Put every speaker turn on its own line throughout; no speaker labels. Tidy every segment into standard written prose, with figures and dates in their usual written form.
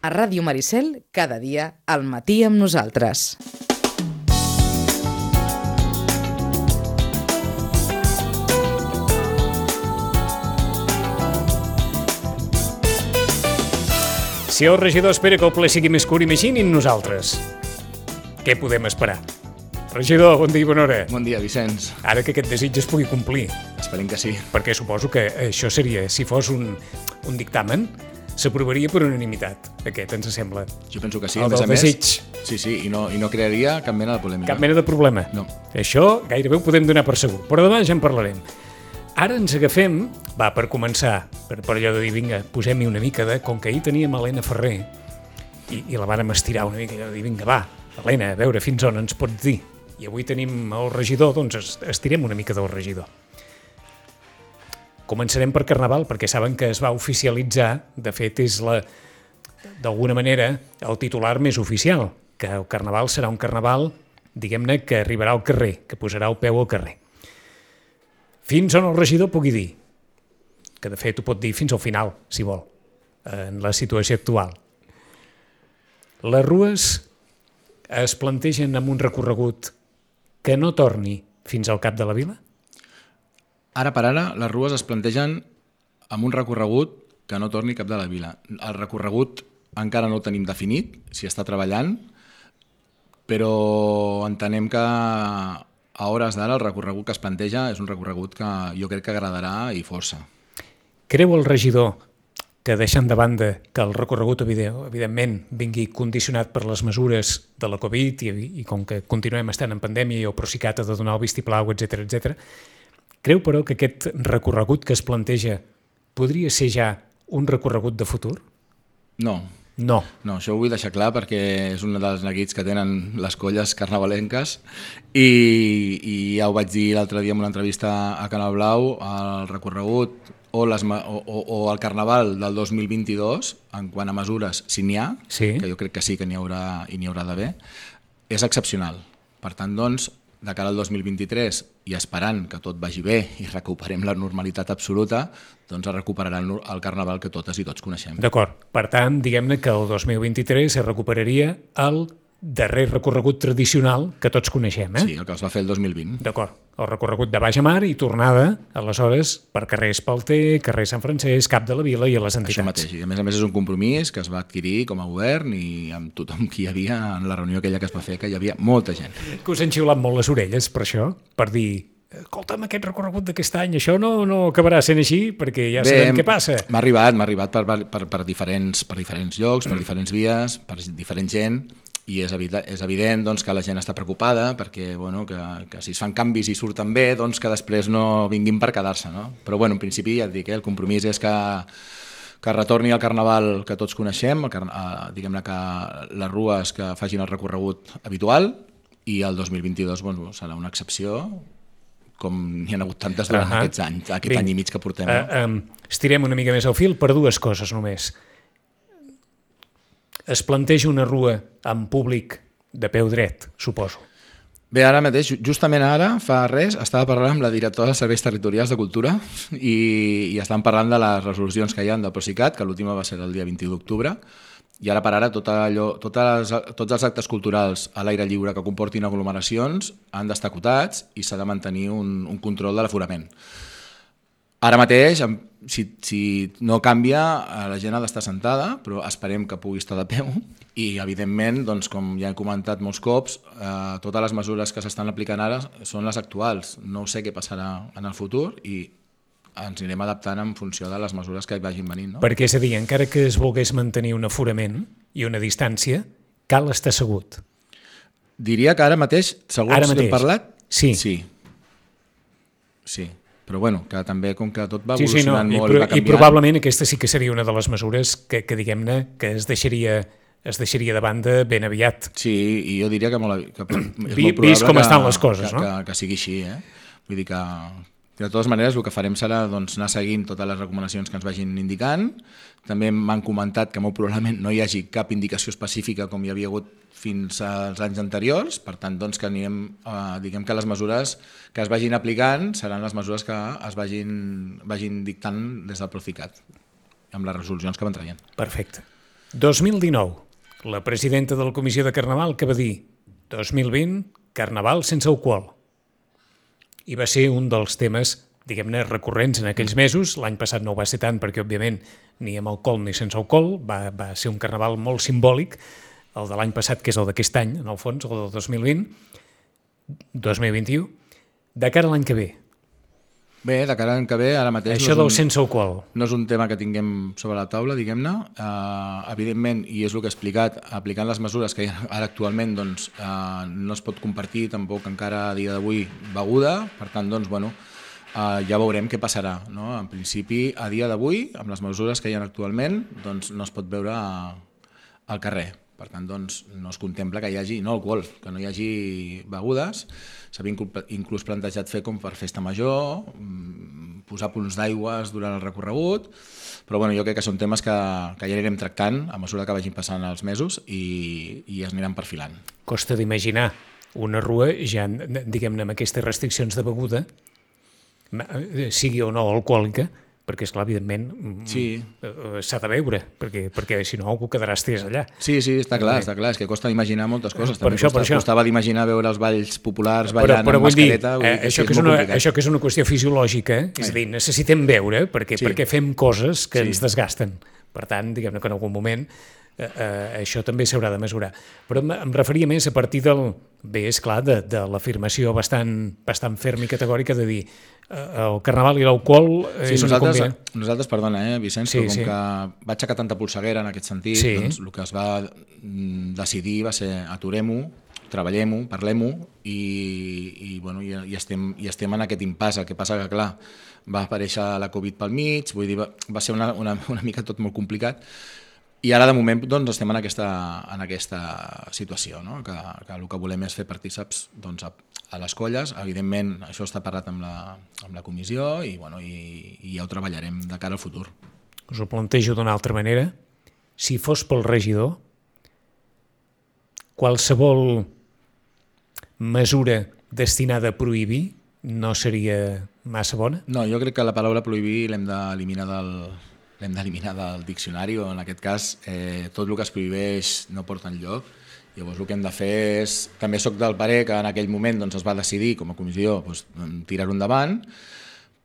A Ràdio Maricel, cada dia, al matí amb nosaltres.
Si el regidor espera que el ple sigui més curt, imaginin nosaltres. Què podem esperar? Regidor, bon dia i bona hora.
Bon dia, Vicenç.
Ara que aquest desig es pugui complir.
Esperem que sí.
Perquè suposo que això seria, si fos un dictamen, s'aprovaria per unanimitat. Aquest ens sembla.
Jo penso que sí.
El
A més
del
a més,
desig.
sí, i no crearia cap mena de polèmica.
Cap mena de problema.
No.
Això gairebé ho podem donar per segur. Però demà ja en parlarem. Ara ens agafem, per començar, per allò de dir, vinga, posem-hi una mica de... Com que ahir teníem Helena Ferrer i la vàrem estirar una mica, allò de dir, vinga, va, Helena, a veure fins on ens pots dir. I avui tenim el regidor, doncs estirem una mica del regidor. Començarem per Carnaval, perquè saben que es va oficialitzar, de fet és d'alguna manera el titular més oficial, que el Carnaval serà un Carnaval, diguem-ne, que arribarà al carrer, que posarà el peu al carrer. Fins on el regidor pugui dir, que de fet ho pot dir fins al final, si vol, en la situació actual. Les rues es plantegen amb un recorregut que no torni fins al cap de la vila?
Ara per ara, les rues es plantegen amb un recorregut que no torni cap de la vila. El recorregut encara no el tenim definit, s'hi està treballant, però entenem que a hores d'ara el recorregut que es planteja és un recorregut que jo crec que agradarà i força.
Creu el regidor que, deixant de banda que el recorregut evidentment vingui condicionat per les mesures de la Covid i com que continuem estant en pandèmia i el Procicat ha de donar el vistiplau, etc., creu però que aquest recorregut que es planteja podria ser ja un recorregut de futur?
No.
No,
això ho vull deixar clar perquè és un dels neguits que tenen les colles carnavalenques i ja ho vaig dir l'altre dia en una entrevista a Canal Blau, el recorregut o el Carnaval del 2022, en quant a mesures, si n'hi ha,
sí,
que jo crec que sí que n'hi haurà i n'hi haurà d'haver, és excepcional. Per tant, doncs, de cara al 2023 i esperant que tot vagi bé i recuperem la normalitat absoluta, doncs es recuperarà el Carnaval que totes i tots coneixem.
D'acord. Per tant, diguem-ne que el 2023 es recuperaria el darrer recorregut tradicional que tots coneixem, eh?
Sí, el que es va fer el 2020.
D'acord. El recorregut de baix a mar i tornada, aleshores, per carrer Espalter, carrer Sant Francesc, Cap de la Vila i a les entitats.
Això mateix. I a més és un compromís que es va adquirir com a govern i amb tothom que hi havia en la reunió aquella que es va fer, que hi havia molta gent.
Que us han xiulat molt les orelles per això, per dir... Escolta'm, aquest recorregut d'aquest any, això no acabarà sent així, perquè ja sabem què passa.
M'ha arribat per diferents llocs, per diferents vies, per diferent gent, i és evident doncs, que la gent està preocupada perquè que si es fan canvis i surten bé, doncs que després no vinguin per quedar-se. No? Però en principi ja et dic, el compromís és que retorni al Carnaval que tots coneixem, diguem-ne que les rues que facin el recorregut habitual, i el 2022 serà una excepció, com n'hi ha hagut tantes durant aquests anys, aquest any i mig que portem.
Estirem una mica més el fil per dues coses només. Es planteja una rua amb públic de peu dret, suposo.
Bé, ara mateix, justament ara, fa res, estava parlant amb la directora dels Serveis Territorials de Cultura i estan parlant de les resolucions que hi ha del Procicat, que l'última va ser el dia 21 d'octubre, i ara per ara tots els actes culturals a l'aire lliure que comportin aglomeracions han d'estar acotats i s'ha de mantenir un control de l'aforament. Ara mateix, si no canvia, la gent ha d'estar sentada, però esperem que pugui estar de peu i, evidentment, doncs, com ja he comentat molts cops, totes les mesures que s'estan aplicant ara són les actuals. No sé què passarà en el futur i ens anirem adaptant en funció de les mesures que vagin venint. No?
Perquè, és a dir, encara que es volgués mantenir un aforament i una distància, cal estar assegut.
Diria que ara mateix, segons hem parlat,
sí.
Però que també com que tot va evolucionant molt i va canviant...
I probablement aquesta sí que seria una de les mesures que diguem-ne, que es deixaria de banda ben aviat.
Sí, i jo diria que és molt
probable vist com estan les coses,
que sigui així. Vull dir que de totes maneres el que farem serà anar seguint totes les recomanacions que ens vagin indicant. També m'han comentat que molt probablement no hi hagi cap indicació específica com hi havia hagut fins als anys anteriors, per tant que diguem que les mesures que es vagin aplicant seran les mesures que es vagin dictant des del Procicat, amb les resolucions que van traient.
Perfecte. 2019, la presidenta de la Comissió de Carnaval que va dir 2020, Carnaval sense alcohol. I va ser un dels temes, diguem-ne, recurrents en aquells mesos. L'any passat no ho va ser tant perquè, òbviament, ni amb alcohol ni sense alcohol. Va ser un carnaval molt simbòlic, el de l'any passat, que és el d'aquest any, en el fons, el del 2020, 2021, de cara a l'any que ve.
Bé, de cara a l'any que ve, ara mateix...
Això del sense alcohol.
No és un tema que tinguem sobre la taula, diguem-ne. Evidentment, i és el que he explicat, aplicant les mesures que hi ha ara actualment, doncs, no es pot compartir tampoc encara a dia d'avui beguda, per tant, doncs, bueno, ja veurem què passarà. No? En principi, a dia d'avui, amb les mesures que hi ha actualment, doncs, no es pot veure al carrer. Per tant, doncs, no es contempla que hi hagi, no alcohol, que no hi hagi begudes. S'havia inclús plantejat fer com per festa major, posar punts d'aigües durant el recorregut, però bueno, jo crec que són temes que ja anirem tractant a mesura que vagin passant els mesos i es aniran perfilant.
Costa d'imaginar una rua ja, diguem-ne, amb aquestes restriccions de beguda, sigui o no alcohòlica, perquè, esclar, evidentment, s'ha de veure, perquè si no algú quedarà estès allà.
Sí, està clar, és que costa d'imaginar moltes coses.
Per això.
Costava d'imaginar veure els balls populars ballant amb mascareta.
Això que és una qüestió fisiològica, és a dir, necessitem veure perquè fem coses que ens desgasten. Per tant, diguem-ne que en algun moment això també s'haurà de mesurar. Però em referia més a partir bé, és clar, de l'afirmació bastant ferma i categòrica de dir el carnaval i l'alcohol és una combinació.
Nosaltres, perdona, Vicenç, però com que va aixecar tanta polseguera en aquest sentit, doncs el que es va decidir va ser aturem-ho, treballem-ho, parlem-ho i estem en aquest impàs. El que passa que, clar, va aparèixer la Covid pel mig, vull dir, va ser una mica tot molt complicat. I ara, de moment, doncs, estem en aquesta situació, no? que el que volem és fer partíceps doncs, a les colles. Evidentment, això està parlat amb la comissió i ja ho treballarem de cara al futur.
Us ho plantejo d'una altra manera. Si fos pel regidor, qualsevol mesura destinada a prohibir no seria massa bona?
No, jo crec que la paraula prohibir l'hem d'eliminar del diccionari, o en aquest cas tot el que es prohibeix no porta enlloc. Llavors el que hem de fer és... També soc del parer que en aquell moment doncs, es va decidir com a comissió doncs, tirar-ho endavant,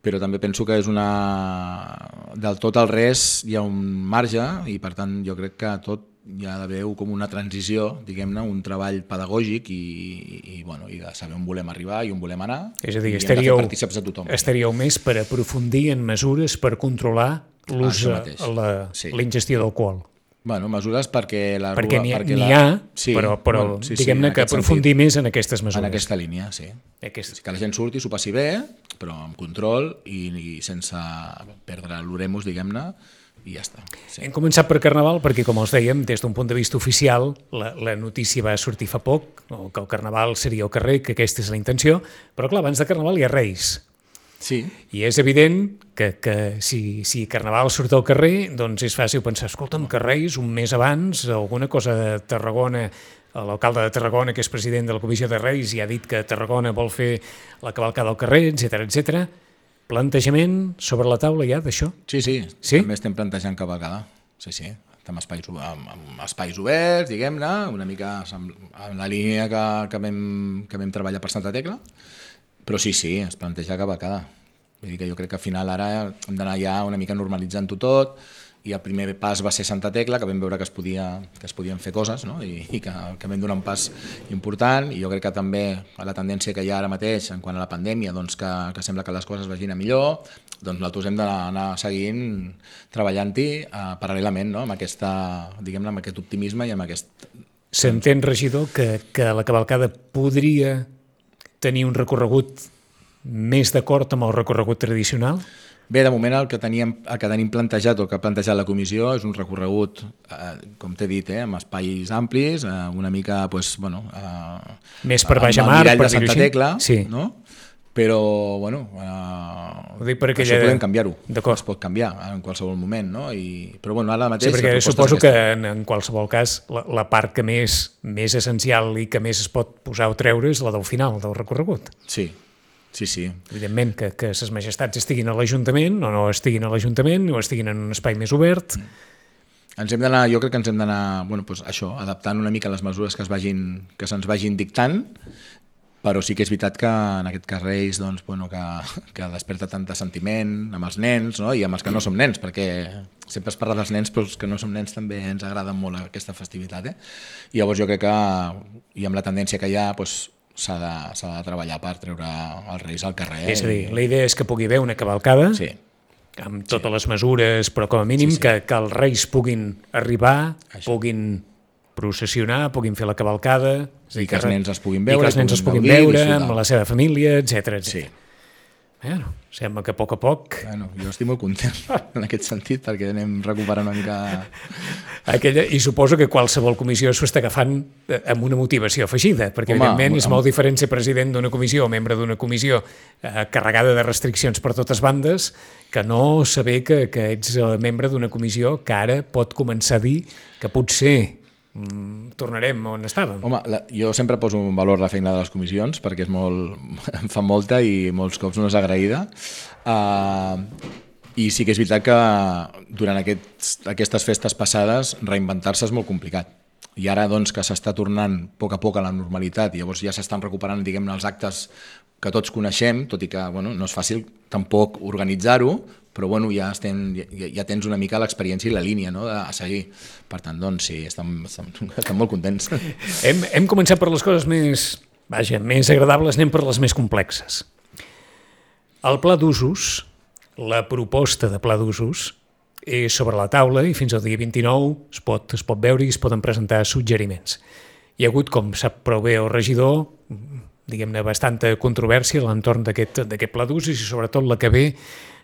però també penso que és del tot al res hi ha un marge i per tant jo crec que tot hi ha d'haver com una transició, diguem-ne, un treball pedagògic i de saber on volem arribar i on volem anar.
És a dir,
i hem de fer partíceps a tothom.
Estaríeu més per aprofundir en mesures per controlar l'ús, la ingestió d'alcohol.
Bueno, mesures perquè la rua...
Perquè n'hi ha, però diguem-ne que aprofundir més en aquestes mesures.
En aquesta línia, sí. Que la gent surti, s'ho passi bé, però amb control i sense perdre l'oremus, diguem-ne, i ja està. Sí.
Hem començat per Carnaval perquè, com us dèiem, des d'un punt de vista oficial, la notícia va sortir fa poc, que el Carnaval seria al carrer, que aquesta és la intenció, però clar, abans de Carnaval hi ha Reis.
Sí.
I és evident que si Carnaval surt al carrer, doncs és fàcil pensar, escolta'm, que Reis, un mes abans, alguna cosa de Tarragona, l'alcalde de Tarragona, que és president de la Comissió de Reis, ja ha dit que Tarragona vol fer la cavalcada al carrer, etc. Plantejament sobre la taula ja d'això?
Sí, també estem plantejant cavalcada. Sí. Amb espais oberts, diguem-ne, una mica en la línia que vam treballar per Santa Tecla, però sí, es planteja cavalcada. Vull dir que jo crec que al final ara hem d'anar ja una mica normalitzant-ho tot, i el primer pas va ser Santa Tecla, que vam veure que es podien fer coses, no? I que vam donar un pas important, i jo crec que també la tendència que hi ha ara mateix en quant a la pandèmia, doncs que sembla que les coses vagin a millor, doncs nosaltres hem d'anar seguint treballant-hi paral·lelament, no? Amb aquest optimisme i amb aquest...
S'entén, regidor, que la cavalcada podria tenir un recorregut més d'acord amb el recorregut tradicional?
Bé, de moment el que tenim plantejat, o el que ha plantejat la comissió, és un recorregut, com t'he dit, amb espais amplis, una mica,
més per baix a mar,
per dir-ho així, Santa Tecla,
sí.
No? Però, això podem canviar-ho. Es pot canviar en qualsevol moment, no? Però, ara mateix...
Sí, perquè suposo que en qualsevol cas la part que més essencial i que més es pot posar o treure és la del final del recorregut.
Sí.
Evidentment que ses majestats estiguin a l'Ajuntament o no estiguin a l'Ajuntament o estiguin en un espai més obert.
jo crec que ens hem d'anar, això, adaptant una mica les mesures que se'ns vagin dictant, però sí que és veritat que en aquest cas Reis que desperta tant de sentiment amb els nens, no? I amb els que no som nens, perquè sempre es parla dels nens, però els que no som nens també ens agrada molt aquesta festivitat. I llavors jo crec que, i amb la tendència que hi ha, s'ha de treballar per treure els Reis al carrer.
És a dir, la idea és que pugui haver una cavalcada,
sí,
amb totes les mesures, però com a mínim que els Reis puguin arribar, puguin processionar, puguin fer la cavalcada,
i que els nens els puguin veure,
amb la seva família, etc.
Sí.
Bueno, sembla que a poc...
Jo estic molt content en aquest sentit, perquè anem recuperant una mica...
I suposo que qualsevol comissió s'ho està agafant amb una motivació afegida, perquè evidentment és molt diferent ser president d'una comissió o membre d'una comissió carregada de restriccions per totes bandes que no saber que ets membre d'una comissió que ara pot començar a dir que potser tornarem on estàvem.
Home, jo sempre poso en valor la feina de les comissions perquè em fa molta i molts cops no és agraïda, i sí que és veritat que durant aquestes festes passades reinventar-se és molt complicat, i ara que s'està tornant a poc a la normalitat, i llavors ja s'estan recuperant, diguem-ne, els actes que tots coneixem, tot i que no és fàcil tampoc organitzar-ho, però ja tens una mica l'experiència i la línia a seguir. Per tant, sí, estem molt contents.
Hem començat per les coses més agradables, anem per les més complexes. El pla d'usos, la proposta de pla d'usos, és sobre la taula i fins al dia 29 es pot veure i es poden presentar suggeriments. Hi ha hagut, com sap prou bé el regidor, diguem-ne, bastanta controvèrsia a l'entorn d'aquest pla d'usos i sobretot la que ve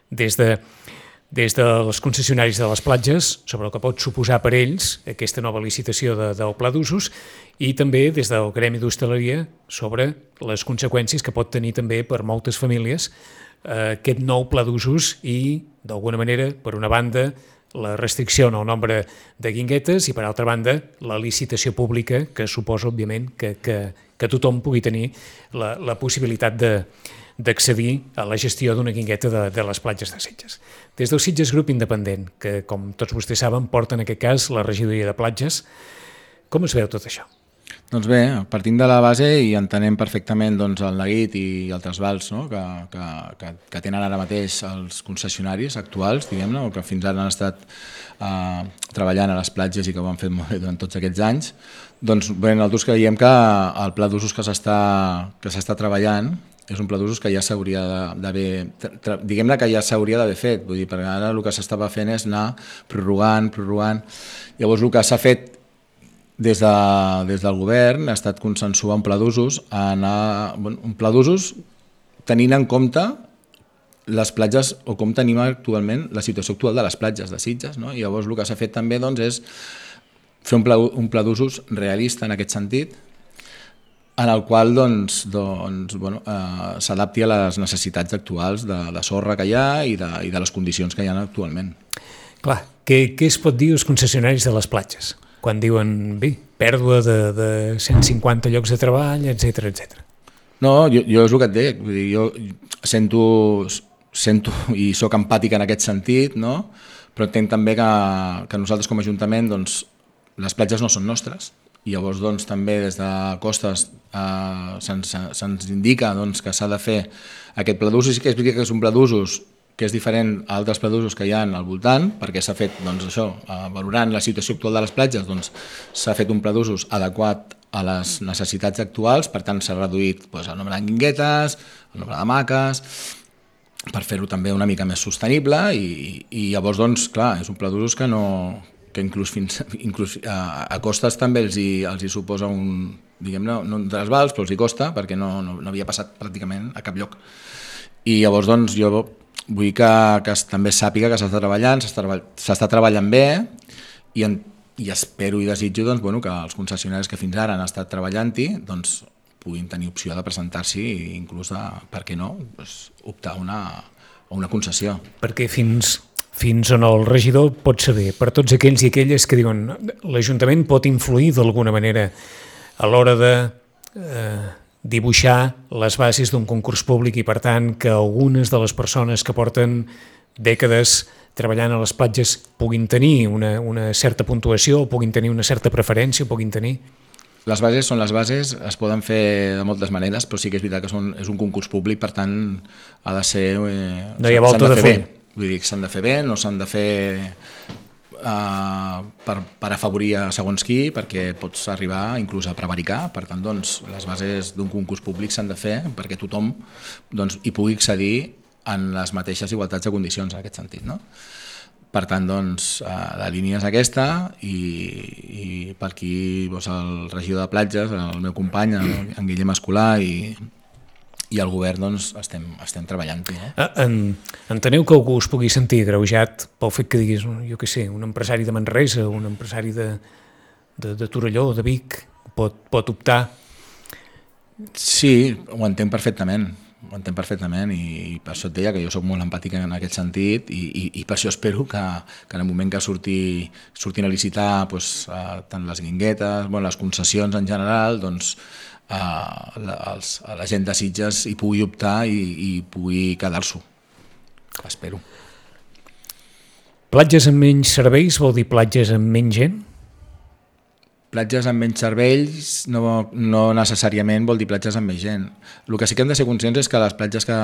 des dels concessionaris de les platges sobre el que pot suposar per ells aquesta nova licitació del pla d'usos i també des del gremi d'hostaleria sobre les conseqüències que pot tenir també per moltes famílies aquest nou pla d'usos i, d'alguna manera, per una banda, la restricció en el nombre de guinguetes i, per altra banda, la licitació pública que suposa, òbviament, que tothom pugui tenir la possibilitat d'accedir a la gestió d'una guingueta de les platges de Sitges. Des del Sitges Grup Independent, que com tots vostès saben porta en aquest cas la regidoria de platges, com es veu tot això?
Doncs bé, partint de la base i entenem perfectament el neguit i el trasbals que tenen ara mateix els concessionaris actuals, diguem-ne, o que fins ara han estat treballant a les platges i que ho han fet molt bé durant tots aquests anys, doncs bé, nosaltres creiem que el pla d'usos que s'està treballant és un pla d'usos que ja s'hauria d'haver, diguem-ne que ja s'hauria d'haver fet, vull dir, perquè ara el que s'estava fent és anar prorrogant. Llavors el que s'ha fet des del govern ha estat consensuar un pla d'usos, tenint en compte les platges o com tenim actualment la situació actual de les platges de Sitges, no? I llavors el que s'ha fet també és fer un pla d'usos realista en aquest sentit, en el qual s'adapti a les necessitats actuals de sorra que hi ha i de les condicions que hi ha actualment.
Clar, què es pot dir als concessionaris de les platges? Quan diuen, pèrdua de 150 llocs de treball, etc.
No, jo és el que et dic, vull dir, jo sento i sóc empàtic en aquest sentit, no? Però entenc també que nosaltres com a Ajuntament les platges no són nostres i llavors també des de Costes se'ns indica que s'ha de fer aquest pla d'usos. Sí que explica que és un pla d'usos que és diferent a altres pla d'usos que hi ha al voltant, perquè s'ha fet, valorant la situació actual de les platges, s'ha fet un pla d'usos adequat a les necessitats actuals, per tant s'ha reduït el nombre de guinguetes, el nombre d'hamaques, per fer-ho també una mica més sostenible i llavors, clar, és un pla d'usos que inclús a Costes també els hi suposa diguem-ne, no un trasbals, però els hi costa, perquè no havia passat pràcticament a cap lloc. I llavors, jo vull que també sàpiga que s'està treballant bé i espero i desitjo que els concessionaris que fins ara han estat treballant-hi puguin tenir opció de presentar-s'hi i inclús, per què no, optar a una concessió.
Perquè fins on el regidor pot saber, per tots aquells i aquelles que diuen l'Ajuntament pot influir d'alguna manera a l'hora de dibuixar les bases d'un concurs públic i, per tant, que algunes de les persones que porten dècades treballant a les platges puguin tenir una certa puntuació, puguin tenir una certa preferència, puguin tenir...
Les bases són les bases, es poden fer de moltes maneres, però sí que és veritat que és un concurs públic, per tant ha de ser...
no hi ha volta de fer.
Vull dir que s'han de fer bé, no s'han de fer per afavorir a segons qui, perquè pots arribar inclús a prevaricar. Per tant, doncs, les bases d'un concurs públic s'han de fer perquè tothom doncs, hi pugui accedir en les mateixes igualtats de condicions, en aquest sentit, no? Per tant, doncs, la línia és aquesta i per aquí doncs, el regidor de platges, el meu company, en Guillem Escolà i el govern doncs, estem treballant-hi.
Enteneu que algú es pugui sentir agreujat pel fet que diguis, jo què sé, un empresari de Manresa, un empresari de Torelló, de Vic, pot optar?
Sí, ho entenc perfectament. I per això et deia que jo soc molt empàtic en aquest sentit i per això espero que en el moment que surtin a licitar doncs, tant les guinguetes, les concessions en general, doncs, la gent de Sitges hi pugui optar i pugui quedar-s'ho. Espero.
Platges amb menys serveis vol dir platges amb menys gent?
Platges amb menys serveis no necessàriament vol dir platges amb més gent. El que sí que hem de ser conscients és que les platges que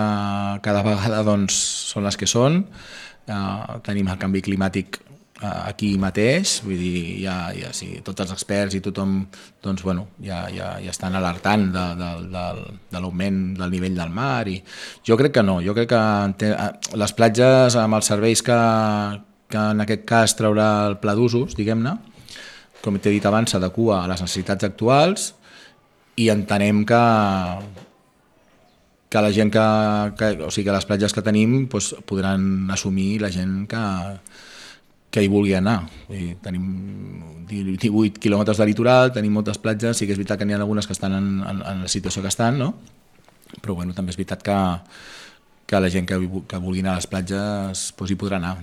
cada vegada doncs, són les que són. Tenim el canvi climàtic aquí mateix, vull dir, sí, tots els experts i tothom doncs, ja estan alertant de l'augment del nivell del mar. I jo crec que no, jo crec que les platges amb els serveis que en aquest cas traurà el pla d'usos, diguem-ne, com t'he dit abans, s'adequa a les necessitats actuals i entenem que la gent o sigui, que les platges que tenim doncs, podran assumir la gent que hi vulgui anar. Tenim 18 quilòmetres de litoral, tenim moltes platges, sí que és veritat que n'hi ha algunes que estan en la situació que estan, no? Però també és veritat que la gent que vulgui anar a les platges doncs, hi podrà anar.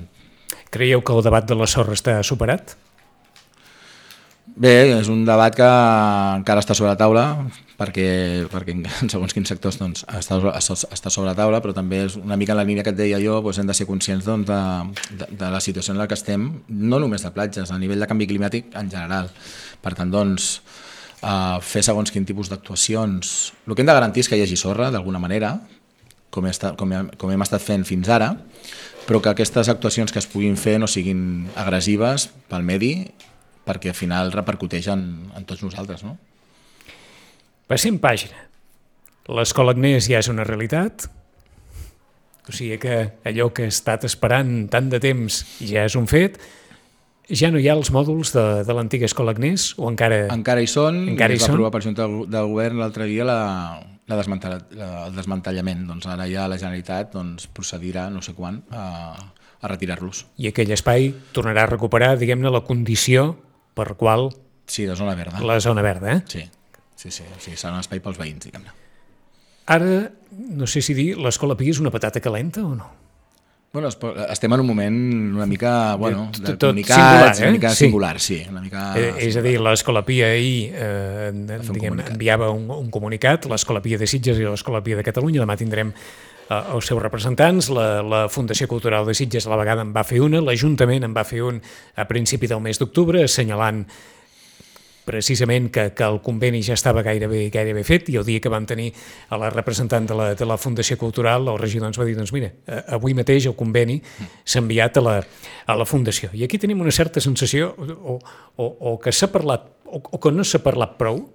Creieu que el debat de la sorra està superat?
Bé, és un debat que encara està sobre la taula perquè en segons quins sectors doncs, està sobre la taula, però també és una mica en la línia que et deia jo, doncs hem de ser conscients doncs, de la situació en la que estem, no només de platges, a nivell de canvi climàtic en general. Per tant, doncs, fer segons quin tipus d'actuacions. El que hem de garantir és que hi hagi sorra, d'alguna manera, com hem estat fent fins ara, però que aquestes actuacions que es puguin fer no siguin agressives pel medi, perquè al final repercuteix en tots nosaltres, no?
Passem pàgina. L'Escola Agnès ja és una realitat, o sigui que allò que he estat esperant tant de temps ja és un fet. Ja no hi ha els mòduls de l'antiga Escola Agnès o encara...
Encara hi són, es va aprovar per Junta de Govern l'altre dia el desmantellament. Doncs ara ja la Generalitat procedirà, no sé quan, a retirar-los.
I aquell espai tornarà a recuperar, diguem-ne, la condició per qual...
Sí, la zona verda.
La zona verda,
Sí, serà un espai pels veïns, diguem-ne.
Ara, no sé si dir, l'Escola Pi és una patata calenta o no?
Bueno, estem en un moment una mica, de
singular,
comunicats, una mica singular, sí. Una mica
és a dir, l'Escola Pia ahir enviava un comunicat, l'Escola Pia de Sitges i l'Escola Pia de Catalunya, demà tindrem els seus representants, la Fundació Cultural de Sitges a la vegada en va fer una, l'Ajuntament en va fer un a principi del mes d'octubre, assenyalant precisament que el conveni ja estava gairebé fet, i el dia que vam tenir a la representant de la Fundació Cultural, el regidor ens va dir, doncs mira, avui mateix el conveni s'ha enviat a la Fundació. I aquí tenim una certa sensació o que s'ha parlat, o que no s'ha parlat prou,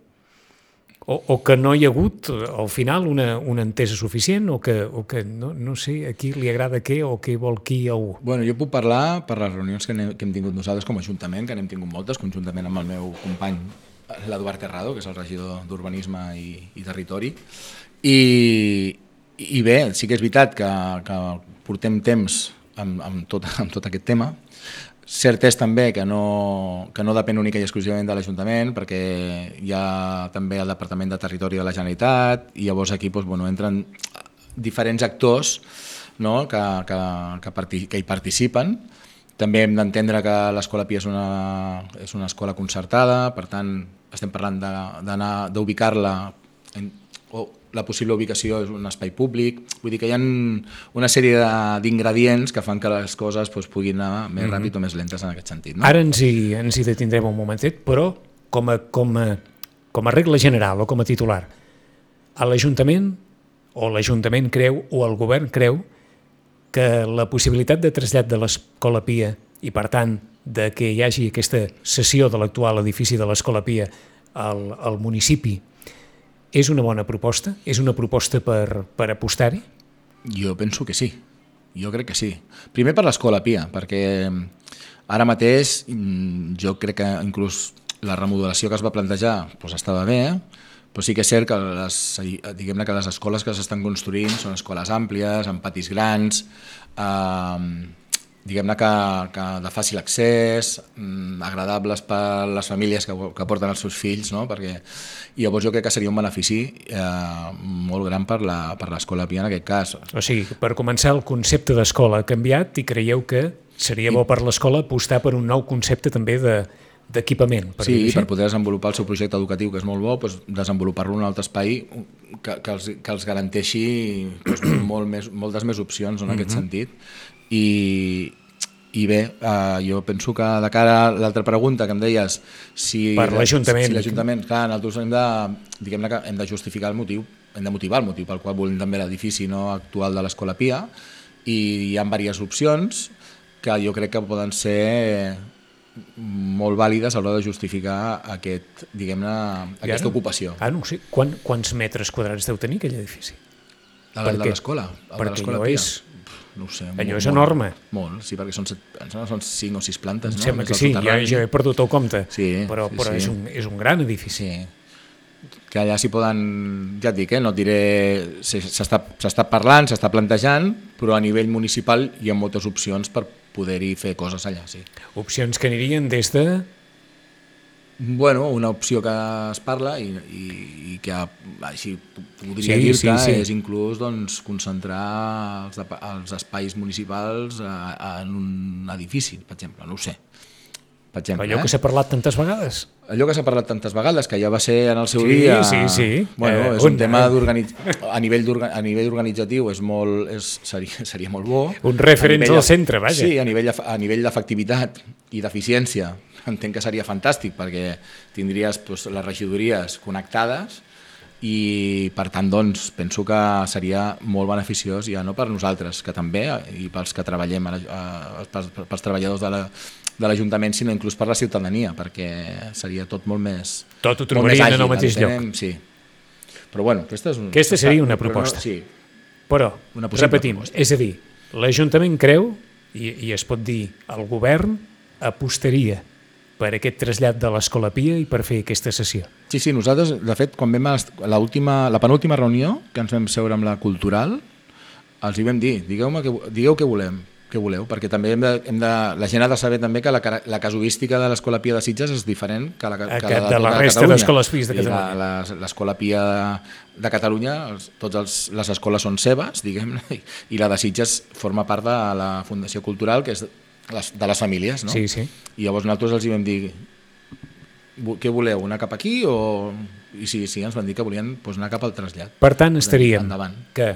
o que no hi ha hagut al final una entesa suficient, o que no sé a qui li agrada què o què vol qui o...
Bueno, jo puc parlar per les reunions que hem tingut nosaltres com a Ajuntament, que n'hem tingut moltes, conjuntament amb el meu company l'Eduard Terrado, que és el regidor d'Urbanisme i Territori, i bé, sí que és veritat que portem temps amb tot aquest tema. Cert és també que no depèn única i exclusivament de l'Ajuntament, perquè hi ha també el Departament de Territori de la Generalitat i llavors aquí entren diferents actors, no, que hi participen. També hem d'entendre que l'Escola Pia és una escola concertada, per tant estem parlant d'ubicar-la o la possible ubicació és un espai públic, vull dir que hi ha una sèrie d'ingredients que fan que les coses puguin anar més ràpid o més lentes en aquest sentit. No?
Ara ens hi detindrem un momentet, però com a regla general o com a titular, a l'Ajuntament creu o el govern creu que la possibilitat de trasllat de l'Escola Pia i, per tant, de que hi hagi aquesta cessió de l'actual edifici de l'Escola Pia al municipi és una bona proposta? És una proposta per apostar-hi?
Jo penso que sí, jo crec que sí. Primer per l'Escola Pia, perquè ara mateix jo crec que inclús la remodelació que es va plantejar estava bé, però sí que és cert que diguem-ne que les escoles que s'estan construint són escoles àmplies, amb patis grans, diguem-ne que de fàcil accés, agradables per les famílies que porten els seus fills, no? Perquè llavors jo crec que seria un benefici molt gran per l'Escola Pia en aquest cas.
O sigui, per començar, el concepte d'escola ha canviat i creieu que seria bo per l'escola apostar per un nou concepte també d'equipament.
Sí, per poder desenvolupar el seu projecte educatiu, que és molt bo, desenvolupar-lo en un altre espai que els garanteixi moltes més opcions en aquest sentit. I bé, jo penso que de cara a l'altra pregunta que em deies, si l'Ajuntament, clar, nosaltres hem de justificar el motiu, hem de motivar el motiu pel qual volem també l'edifici actual de l'Escola Pia, i hi ha diverses opcions que jo crec que poden ser molt vàlides a l'hora de justificar aquesta ocupació.
No ho sé. Quants metres quadrats deu tenir aquell edifici?
De l'escola?
Perquè allò és...
No ho sé.
Allò és enorme.
Molt, sí, perquè són 5 o 6 plantes.
Em sembla que sí, jo he perdut el compte, però és un gran edifici.
Que allà s'hi poden, ja et dic, no et diré, s'està parlant, s'està plantejant, però a nivell municipal hi ha moltes opcions per poder-hi fer coses allà, sí.
Opcions que anirien des de...
Bueno, una opció que es parla i que així podria dir-te és inclús concentrar els espais municipals en un edifici, per exemple, no ho sé.
Allò que s'ha parlat tantes vegades.
Allò que s'ha parlat tantes vegades, que ja va ser en el seu dia...
Sí.
Bueno, és un tema a nivell organitzatiu seria molt bo.
Un referent al centre, vaja.
Sí, a nivell d'efectivitat i d'eficiència entenc que seria fantàstic, perquè tindries les regidories connectades i, per tant, penso que seria molt beneficiós, ja no per nosaltres, que també, i pels que treballem, pels treballadors de l'Ajuntament, sinó inclús per la ciutadania, perquè seria tot molt més...
Tot ho trobarien en el mateix lloc.
Sí. Però bueno,
aquesta seria una proposta. Però, repetim, és a dir, l'Ajuntament creu, i es pot dir, el govern apostaria per aquest trasllat de l'Escola Pia i per fer aquesta sessió.
Sí, nosaltres, de fet, quan vam a la penúltima reunió que ens vam seure amb la Cultural, els hi vam dir, digueu què voleu, perquè també la gent ha de saber també que la casuística de l'Escola Pia de Sitges és diferent que la
de la resta d'escoles Pies de Catalunya.
L'Escola Pia de Catalunya, totes les escoles són seves, diguem-ne, i la de Sitges forma part de la Fundació Cultural, que és de les famílies, no?
Sí.
I llavors nosaltres els hi vam dir, què voleu, anar cap aquí? I sí, ens van dir que volien anar cap al trasllat.
Per tant, estaríem que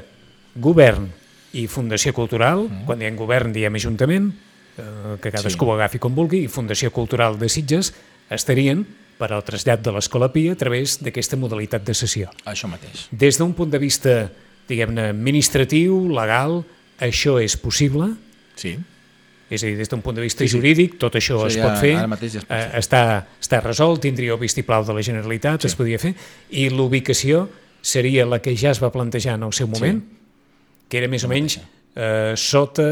govern i Fundació Cultural, quan diem govern diem Ajuntament, que cadascú ho agafi com vulgui, i Fundació Cultural de Sitges estarien per al trasllat de l'Escola Pia a través d'aquesta modalitat de sessió.
Això mateix.
Des d'un punt de vista, diguem-ne, administratiu, legal, això és possible?
Sí.
És a dir, des d'un punt de vista jurídic, tot això es pot fer, està resolt, tindria el vistiplau de la Generalitat, es podria fer, i l'ubicació seria la que ja es va plantejar en el seu moment, que era més o menys sota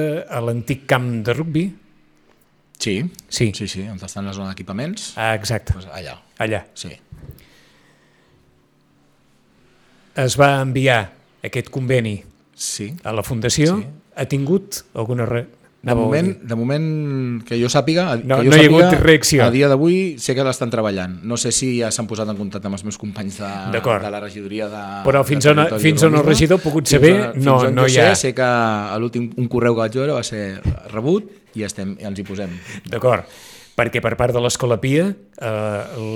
l'antic camp de rugbi.
Sí, on estan les zones d'equipaments.
Exacte. Allà.
Sí.
Es va enviar aquest conveni a la Fundació, ha tingut alguna...
De moment, que jo sàpiga,
no hi ha hagut reacció.
A dia d'avui sé que l'estan treballant. No sé si ja s'han posat en contacte amb els meus companys de la regidoria de...
Però fins on el regidor ha pogut saber, no hi ha...
Sé que l'últim un correu que vaig veure va ser rebut i ens hi posem.
D'acord. Perquè per part de l'Escola Pia,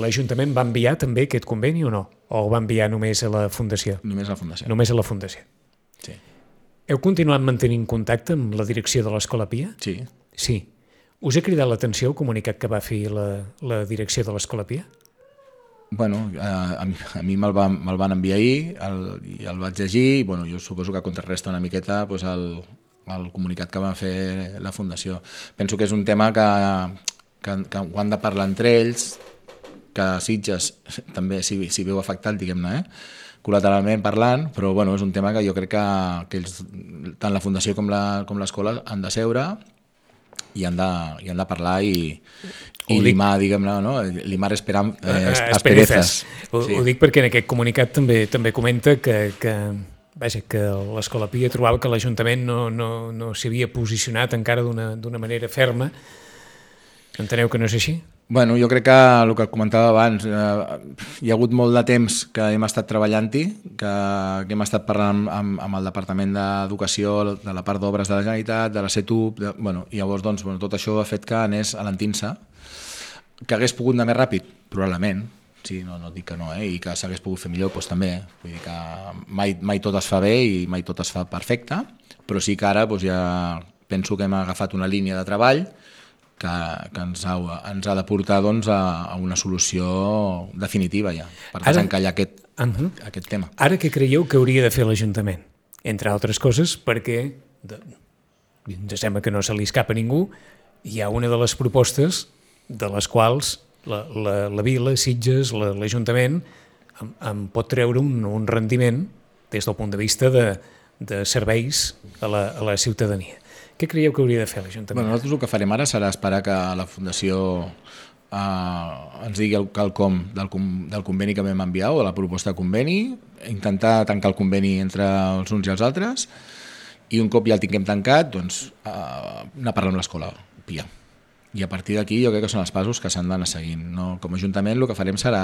l'Ajuntament va enviar també aquest conveni o no? O el va enviar només a la Fundació?
Només a la Fundació.
Només a la Fundació.
Sí.
Heu continuat mantenint contacte amb la direcció de l'Escola Pia?
Sí.
Sí. Us ha cridat l'atenció el comunicat que va fer la direcció de l'Escola Pia?
Bueno, a mi me'l van enviar ahir i el vaig llegir i bueno, jo suposo que contrarresta una miqueta doncs, el comunicat que va fer la Fundació. Penso que és un tema que ho han de parlar entre ells, que Sitges també s'hi veu afectat, diguem-ne, col·lateralment parlant, però bueno, és un tema que jo crec que ells, tant la Fundació com l'escola han de seure i han de parlar i limar, diguem-ne, no? Limar asperezas.
Ho dic perquè en aquest comunicat també comenta que l'Escola Pia trobava que l'Ajuntament no s'havia posicionat encara d'una manera ferma. Enteneu que no és així?
Bueno, jo crec que el que comentava abans, hi ha hagut molt de temps que hem estat treballant-hi, que hem estat parlant amb el Departament d'Educació, de la part d'obres de la Generalitat, de la CETUB, i llavors doncs, tot això ha fet que anés alentint-se, que hagués pogut anar més ràpid, probablement, sí, no dic que no, i que s'hagués pogut fer millor, doncs també, vull dir que mai tot es fa bé i mai tot es fa perfecte, però sí que ara ja penso que hem agafat una línia de treball que ens ha de portar doncs, a una solució definitiva ja, per desencallar aquest tema.
Ara què creieu que hauria de fer l'Ajuntament? Entre altres coses, perquè ens sembla que no se li escapa a ningú, hi ha una de les propostes de les quals la Vila, Sitges, l'Ajuntament en pot treure un rendiment des del punt de vista de serveis a la ciutadania. Què creieu que hauria de fer l'Ajuntament?
Nosaltres el que farem ara serà esperar que la Fundació ens digui el com del conveni que vam enviar o de la proposta de conveni, intentar tancar el conveni entre els uns i els altres i un cop ja el tinguem tancat, doncs anar a parlar amb l'Escola Pia. I a partir d'aquí jo crec que són els passos que s'han d'anar seguint. No? Com a Ajuntament el que farem serà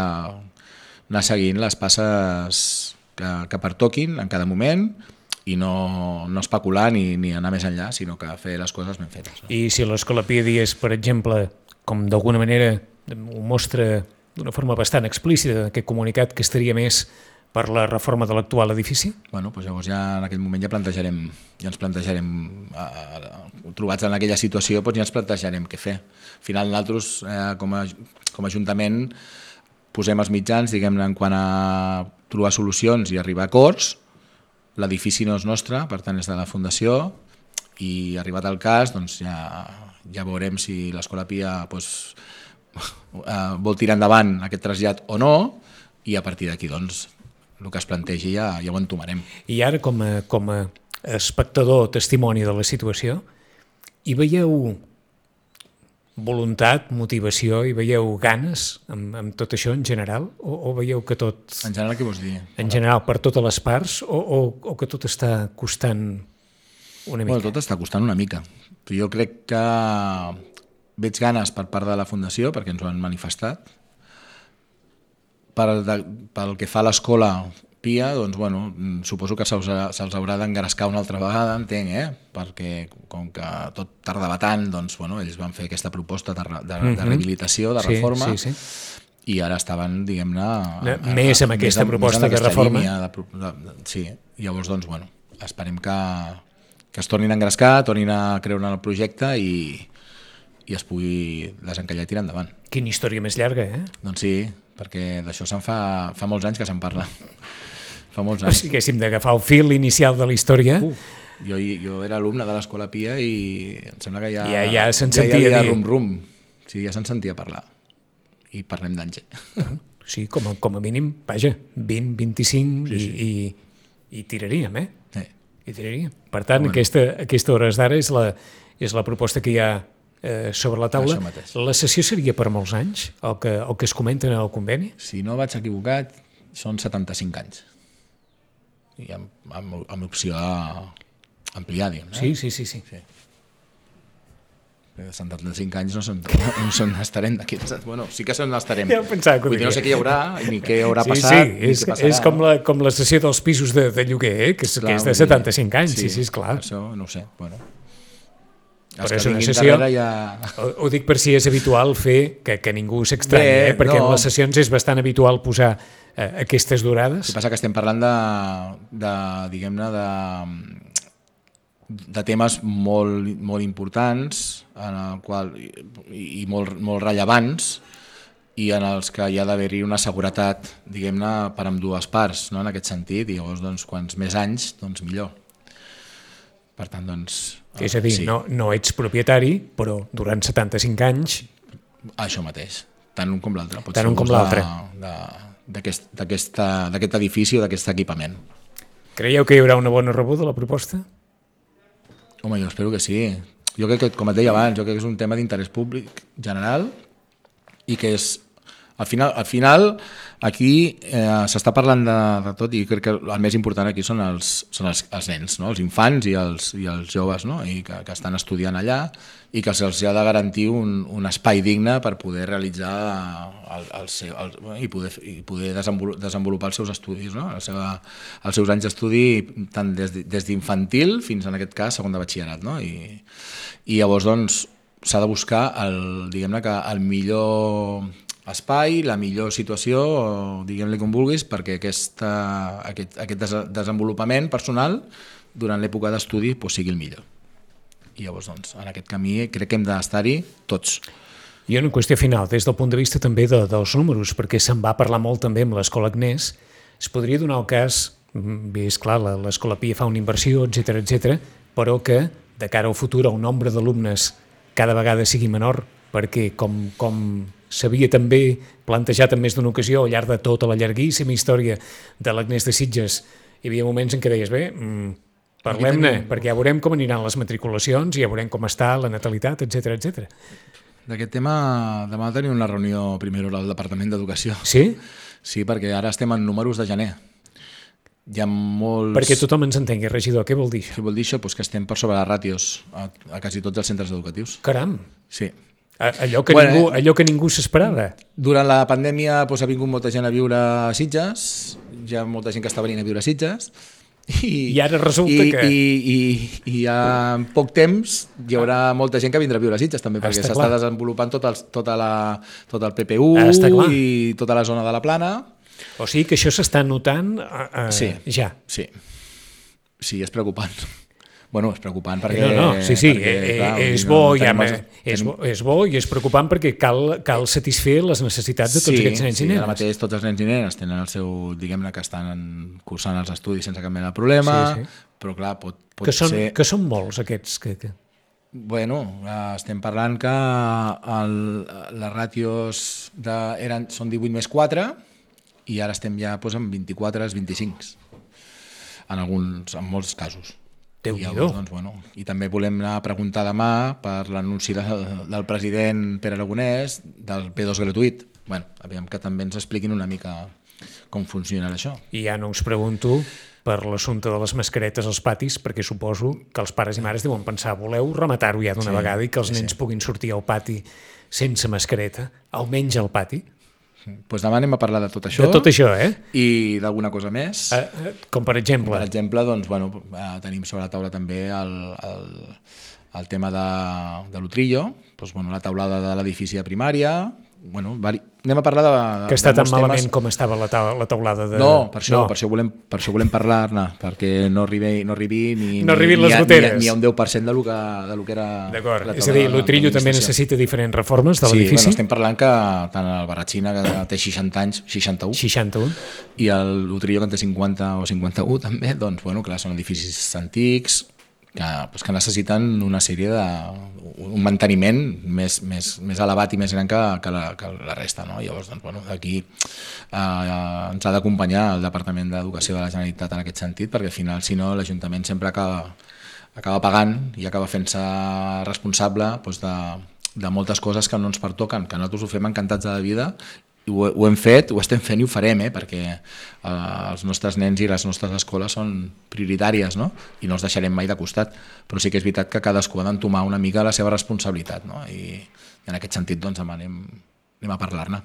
anar seguint les passes que pertoquin en cada moment i no especular ni anar més enllà, sinó que fer les coses ben fetes. No?
I si l'Escola Pia digués, per exemple, com d'alguna manera ho mostra d'una forma bastant explícita aquest comunicat, que estaria més per la reforma de l'actual edifici?
Bueno, doncs llavors ja en aquell moment ja ens plantejarem trobats en aquella situació, doncs ja ens plantejarem què fer. Al final nosaltres, com a Ajuntament, posem els mitjans, diguem-ne, en quant a trobar solucions i arribar a acords. L'edifici no és nostre, per tant és de la Fundació, i arribat el cas doncs ja veurem si l'Escola Pia vol tirar endavant aquest trasllat o no, i a partir d'aquí doncs el que es plantegi ja ho entomarem.
I ara, com a espectador, testimoni de la situació, hi veieu voluntat, motivació, hi veieu ganes amb tot això en general? O veieu que tot...
En general, què vols dir?
En general, per totes les parts, o que tot està costant una mica?
Bueno, tot està costant una mica. Jo crec que veig ganes per part de la Fundació, perquè ens ho han manifestat. Pel que fa a l'Escola Pia, doncs, bueno, suposo que se'ls haurà d'engarescar una altra vegada, entenc, perquè com que tot tardava tant, doncs, bueno, ells van fer aquesta proposta de rehabilitació, de reforma, i ara estaven, diguem-ne...
Més amb aquesta proposta de reforma.
Sí, llavors, doncs, bueno, esperem que es tornin a engrescar, tornin a creure en el projecte i es pugui desencallar i tirar endavant.
Quina història més llarga,
Doncs sí, perquè d'això se'n fa molts anys que se'n parla. Fa molts anys.
Si haguéssim d'agafar el fil inicial de la història...
Jo era alumne de l'Escola Pia i em sembla que
ja se'n sentia dir...
rum. Sí, ja se'n sentia parlar. I parlem d'anys.
Sí, com a mínim, vaja, 20, 25 i tiraríem,
Sí.
I tiraríem. Per tant, aquesta hores d'ara és la proposta que hi ha sobre la taula. La sessió seria per molts anys, el que es comenta en el conveni?
Si no vaig equivocat, són 75 anys. I amb opció a ampliar, diguem.
Sí.
75 anys no estarem d'aquí. Bueno, sí que estarem.
Ja ho pensava que ho
diria. No sé què hi haurà, ni què haurà passat.
Sí, és com la sessió dels pisos de lloguer, que és de 75 anys. Sí, esclar.
Això no ho sé. Bueno, Els
Però és
que
una
vinguin
sessió...
darrere ja...
Ho dic per si és habitual fer que ningú s'extranyi, perquè en les sessions és bastant habitual posar aquestes durades.
El que passa que estem parlant diguem-ne, de temes molt importants en el qual, i molt rellevants, i en els que hi ha d'haver-hi una seguretat, diguem-ne, per amb dues parts, no? En aquest sentit, i llavors, doncs, quants més anys, doncs millor. Per tant, doncs...
És a dir, sí. no ets propietari, però durant 75 anys...
Això mateix, tant un com l'altre.
Tant un com l'altre.
D'aquest edifici o d'aquest equipament.
Creieu que hi haurà una bona rebuda a la proposta?
Home, jo espero que sí. Jo crec que, com et deia abans, jo crec que és un tema d'interès públic general i que és... Al final aquí s'està parlant de tot i crec que el més important aquí són els nens, no? Els infants i els joves, no? I que estan estudiant allà i que se'ls ha de garantir un espai digne per poder realitzar i poder desenvolupar els seus estudis, no? Els seus anys d'estudi tant des d'infantil fins en aquest cas segon de batxillerat, no? I llavors doncs s'ha de buscar diguem-ne que el millor espai, la millor situació, diguem-li com vulguis, perquè aquest desenvolupament personal durant l'època d'estudi sigui el millor. I llavors, doncs, en aquest camí crec que hem d'estar-hi tots.
I una qüestió final, des del punt de vista també dels números, perquè se'n va parlar molt també amb l'Escola Agnès, es podria donar el cas, bé, és clar, l'Escola Pia fa una inversió, etc, però que de cara al futur el nombre d'alumnes cada vegada sigui menor, perquè com s'havia també plantejat en més d'una ocasió al llarg de tota la llarguíssima història de l'Agnès de Sitges, hi havia moments en què deies, bé, parlem-ne, perquè ja veurem com aniran les matriculacions, ja veurem com està la natalitat, etc.
D'aquest tema demà tenim una reunió primera al Departament d'Educació.
Sí?
Sí, perquè ara estem en números de gener. Hi ha molts...
Perquè tothom ens entengui, regidor, què vol dir això?
Què vol dir això? Pues que estem per sobre les ràtios a quasi tots els centres educatius.
Caram!
Sí.
Allò que ningú s'esperava.
Durant la pandèmia ha vingut molta gent a viure a Sitges, hi ha molta gent que està venint a viure a Sitges,
i ara resulta que...
I en poc temps hi haurà molta gent que vindrà a viure a Sitges també, perquè s'està desenvolupant tot el PPU i tota la zona de la Plana.
O sigui que això s'està notant ja.
Sí, és preocupant. Bueno, és preocupant perquè...
És bo i és preocupant perquè cal satisfer les necessitats de tots aquests nens i nenes.
Sí, ara mateix tots els nens i nenes tenen el seu, diguem-ne, que estan cursant els estudis sense cap mena de problema, però clar, pot ser...
Que són molts aquests que...
Bueno, estem parlant que les ràtios són 18 més 4 i ara estem ja en 24, 25, en molts casos. I també volem anar a preguntar demà per l'anunci del president Pere Aragonès del P2 gratuït. Aviam que també ens expliquin una mica com funciona això.
I ja no us pregunto per l'assumpte de les mascaretes als patis, perquè suposo que els pares i mares deuen pensar voleu rematar-ho ja d'una vegada i que els nens puguin sortir al pati sense mascareta, almenys al pati?
Doncs demà anem a parlar de tot això.
De tot això,
I d'alguna cosa més.
Com per exemple?
Per exemple, doncs, tenim sobre la taula també el tema de l'Utrillo, la taulada de l'edifici de primària. Anem a parlar de
que està tan malament com estava la taulada de...
No, per això volem parlar-ne, perquè no arribi ni
les goteres.
Ni a un 10% del que era...
D'acord, és a dir, l'Utrillo també necessita diferents reformes de l'edifici?
Sí, estem parlant que tant el Barratxina, que té 60 anys, 61, i l'Utrillo, que en té 50 o 51 també, doncs, clar, són edificis antics, que necessiten una sèrie un manteniment més elevat i més gran que la resta, no? Llavors, d'aquí ens ha d'acompanyar el Departament d'Educació de la Generalitat en aquest sentit, perquè al final, si no, l'Ajuntament sempre acaba pagant i acaba fent-se responsable de moltes coses que no ens pertoquen, que nosaltres ho fem encantats de la vida i ho hem fet, ho estem fent i ho farem, perquè els nostres nens i les nostres escoles són prioritàries, no? I no els deixarem mai de costat, però sí que és veritat que cadascú ha d'entomar una mica la seva responsabilitat, no? I en aquest sentit demanem anem a parlar-ne.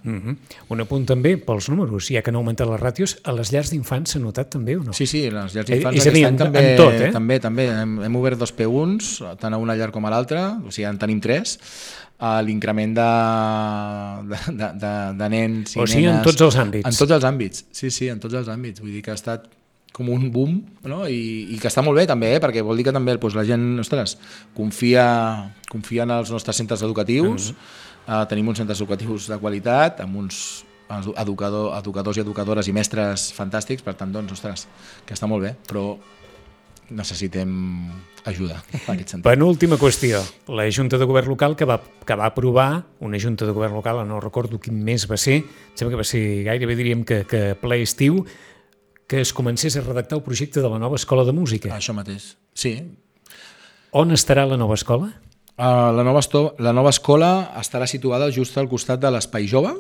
Un apunt també pels números, ja que han augmentat les ràtios, a les llars d'infants s'ha notat també o no?
Sí, les llars d'infants
és a dir,
aquest any
en tot, eh?
també. Hem obert 2 P1s, tant a una llar com a l'altra, o sigui, en tenim 3. L'increment de nens i
o sigui,
nenes...
en tots els àmbits.
En tots els àmbits, sí, en tots els àmbits. Vull dir que ha estat com un boom, no? I que està molt bé també, perquè vol dir que també la gent, confia en els nostres centres educatius. Tenim uns centres educatius de qualitat, amb uns educadors i educadores i mestres fantàstics, per tant, doncs, que està molt bé, però necessitem ajuda en aquest sentit.
Penúltima qüestió, la Junta de Govern Local que va aprovar, una Junta de Govern Local, no recordo quin mes va ser, sembla que va ser gairebé diríem que ple estiu, que es comencés a redactar el projecte de la nova escola de música.
Això mateix, sí.
On estarà la nova escola?
La nova escola estarà situada just al costat de l'Espai Jove,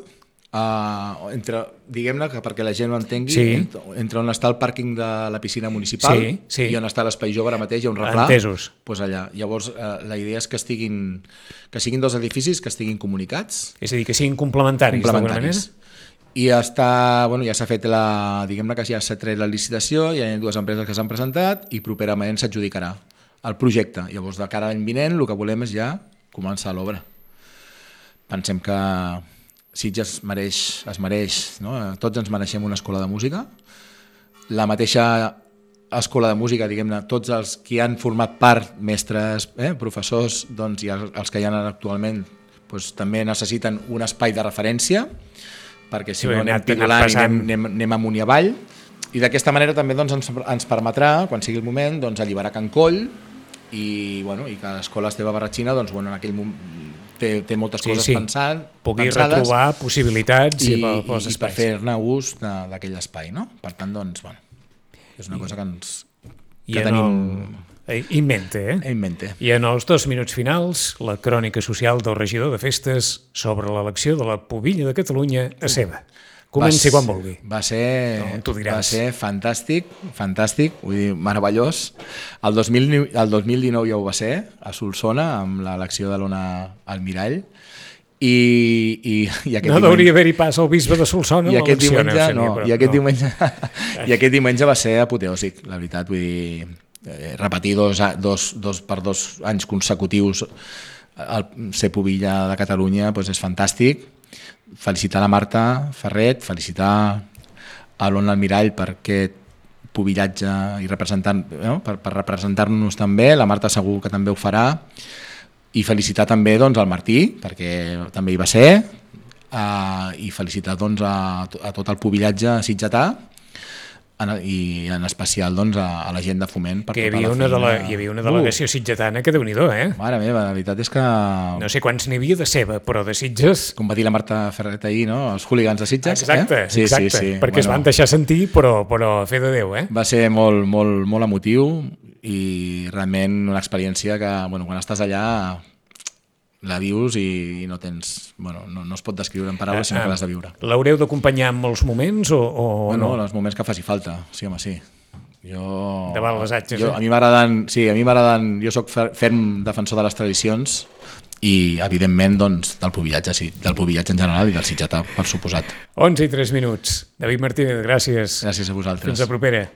diguem-ne que perquè la gent ho entengui, entre on està el pàrquing de la piscina municipal i on està l'Espai Jove ara mateix, hi ha un replà, doncs allà. Llavors la idea és que siguin 2 edificis que estiguin comunicats.
És a dir, que siguin complementaris d'alguna manera?
I ja s'ha fet diguem-ne que ja s'ha tret la licitació, hi ha 2 empreses que s'han presentat i properament s'adjudicarà el projecte. Llavors, de cara a l'any vinent, el que volem és ja començar l'obra. Pensem que Sitges es mereix, no? Tots ens mereixem una escola de música. La mateixa escola de música, diguem-ne, tots els que han format part, mestres, professors, doncs, i els que hi ha actualment, doncs, també necessiten un espai de referència, perquè si no anem pidolant i anem amunt i avall. I d'aquesta manera també doncs, ens permetrà, quan sigui el moment, doncs, alliberar Can Coll i que l'escola Esteve Barratxina doncs, en aquell moment té moltes coses pensades.
Pugui retrobar possibilitats
i per fer-ne ús d'aquell espai. No? Per tant, doncs, és una cosa que tenim...
In mente,
In mente.
I en els 2 minuts finals, la crònica social del regidor de festes sobre l'elecció de la pubilla de Catalunya a Seva. Comenci quan vulgui.
Va ser fantàstic, vull dir, meravellós. El 2019 ja ho va ser, a Solsona, amb l'elecció de l'Ona Almirall. I
no hauria d'haver-hi pas al bisbe de Solsona.
I aquest diumenge va ser apoteòsic, la veritat. Vull dir, repetir 2 anys consecutius ser pubilla de Catalunya és fantàstic. Felicitar la Marta Ferret, felicitar a l'Ona Almirall per aquest pubillatge i per representar-nos també. La Marta segur que també ho farà. I felicitar també el Martí, perquè també hi va ser, i felicitar a tot el pubillatge sitgetà, i en especial a la gent de Foment.
Que hi havia una delegació sitgetana que Déu-n'hi-do,
Mare meva, la veritat és que...
No sé quants n'hi havia de Seva, però de Sitges...
Com va dir la Marta Ferret ahir, no? Els hooligans de Sitges.
Exacte, perquè es van deixar sentir, però a fe de Déu,
Va ser molt, molt, molt emotiu i realment una experiència que, quan estàs allà la vius i no tens... no es pot descriure en paraules, sinó que l'has de viure.
L'haureu d'acompanyar en molts moments o no?
En els moments que faci falta, sí, home, sí.
Davant les atges,
a mi m'agraden... Jo soc ferm defensor de les tradicions i, evidentment, del pubillatge en general i del sitgetà, per suposat.
11 i 3 minuts. David Martínez, gràcies.
Gràcies a vosaltres.
Fins la propera.